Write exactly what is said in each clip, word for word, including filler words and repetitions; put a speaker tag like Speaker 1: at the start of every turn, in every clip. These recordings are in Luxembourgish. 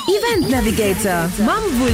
Speaker 1: Event Navigator mam Wulli.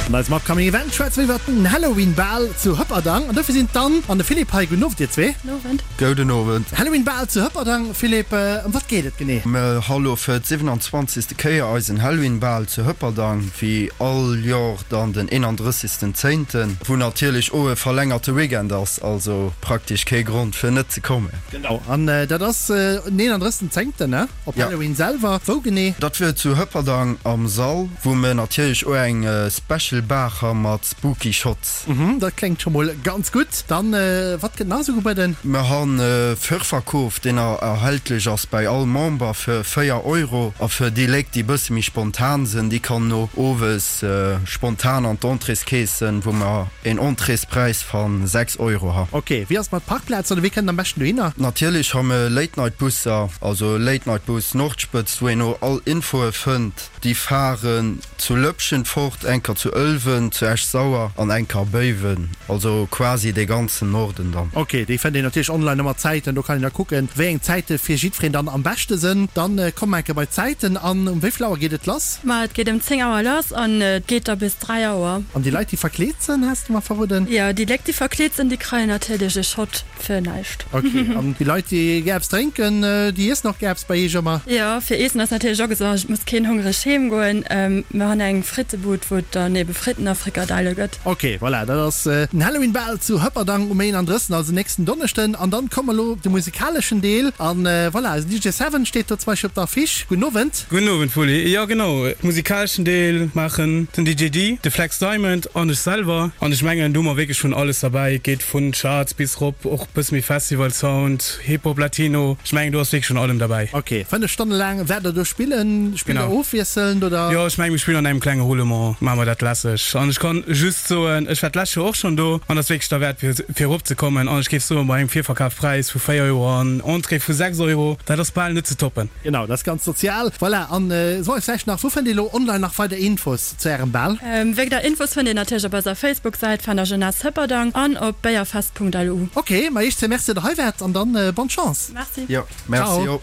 Speaker 2: An eisem upcoming Event schwätze mir iwwert den Halloween Bal zu Hëpperdang. An dofir sinn d'Anne an de Philippe hei. Gudden Owend dir zwee.
Speaker 3: Owend.
Speaker 4: Gouden Owend.
Speaker 2: Halloween Bal zu Hëpperdang, Philippe, ëm wat geet et genee?
Speaker 4: Mer ha lo fir d'siwenanzwanzegste Kéier eisen Halloween Bal zu Hëpperdang, wéi all Jor dann den eenandrëssigsten Zéinten, wou natierlech o e verlängerte Weekend ass, also praktesch kee Grond fir net ze kommen.
Speaker 2: Genau, an dat ass den eenandrëssigsten Zéngten, ne? Op
Speaker 4: Ja.
Speaker 2: Halloween selwer. Wou genee?
Speaker 4: Dat wier zu Hëpperdang am Sall, wou mer natierlech o eng Special Bar ha mat Spooky Shots.
Speaker 2: Mhm, dat kléngt scho mol ganz gutt. Dann, wat gëtt nach esou gebueden?
Speaker 4: Mer han e Virverkoof, deen erhältlech ass bäi all Member fir véier Euro. A fir déi Léit, déi bësse méi spontan sinn, déi kann o owes spontan an d'Entréeskeesen, wou mer een Entréespräis van sechs Euro ha.
Speaker 2: Ok, wéi ass et mat Parkplazen oder wéi kënnt een am beschten dohinner?
Speaker 4: Natierlech ha mer Late Night Busser, also Late Night Bus Nordspëtzt, wou een o all Infoe fënnt. Déi faren zu Lëpschen fort, enker zu Ëlwen, zu Esch-Sauer an enker a Béiwen, also quasi dee ganzen Norden dann.
Speaker 2: Ok, déi fënnt een natierlech online ëmmer d'Zäiten, do kann een da kucken, wéi eng Zäite fir jiddwereen dann am beschte sënn. Dann komme mer enke bei d'Zäiten an. Um wéi vill Auer geet et lass?
Speaker 3: Ma et geet ëm zéng Auer lass an et geet da bis dräi Auer.
Speaker 2: An déi Leit, déi verkleet sënn, has de mer verroden?
Speaker 3: Jo, déi Léck, déi verkleet sënn, déi kreien natierlech e Shot fir näischt.
Speaker 2: Ok, an déi Leit, déi gär eppes drénken, déi iessen och gär eppes bei iech ëmmer?
Speaker 3: Jo, fir Eessen ass natierlech och gesorgt, et muss keen hongreg heem goen. Mir han eng Frittebud, wou et dann ebe Fritten a Frikadelle gëtt.
Speaker 2: Ok, voilà, dat ass den Halloween Bal zu Hëpperdang um eenandrëssigsten, also nächsten Donneschden. An dann komme mer elo op de musikaleschen Deel. An voilà, eisen D J Seven steet do zum Beispill op der Affiche. Gudden Owend.
Speaker 5: Gudden Owend, Wulli. Jo, genau, musikaleschen Deel maachen den D J Dee, de Flex Diamond an ech selwer. An ech mengen, do hu mer wierklech vun alles derbäi. Et geet vun Charts bis rop, och bësse méi Festival Sound, Hip Hop, Latino. Ech mengen, do ass wierklech vun allem derbäi.
Speaker 2: Ok, fënnef Stonne laang wäert der do spillen. Spillt der
Speaker 5: Genau.
Speaker 2: ofwiesselnd oder?
Speaker 5: Jo, ech mengen, mir spillen an engem klenge Roulement, maache mer dat lässeg. An ech kann just soen, ech war d'lescht Joer och schonn do an ass wierklech derwäert fir fir erop ze kommen. An ech géif soen, bei engem Virverkafpräis vu véier Euro an Entrée vu sechs Euro, dat ass bal net ze toppen.
Speaker 2: Genau, dat ass ganz sozial. Voilà, an soe vläicht nach, wou fënnt ee lo online nach weider Infos zu ärem Bal?
Speaker 3: Wéider Infos fënnt een natierlech op eiser Facebook-Säit Fender Jeunesse Hëpperdang an op béierfest punkt lu.
Speaker 2: Ok, ma iech zwee Merci, datt der hei waart an dann bonne Chance.
Speaker 3: Merci.
Speaker 4: Jo, merci
Speaker 2: Ciao.
Speaker 4: och.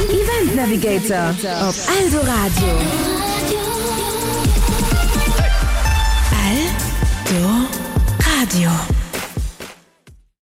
Speaker 1: Event Navigator op Eldoradio. Eldoradio.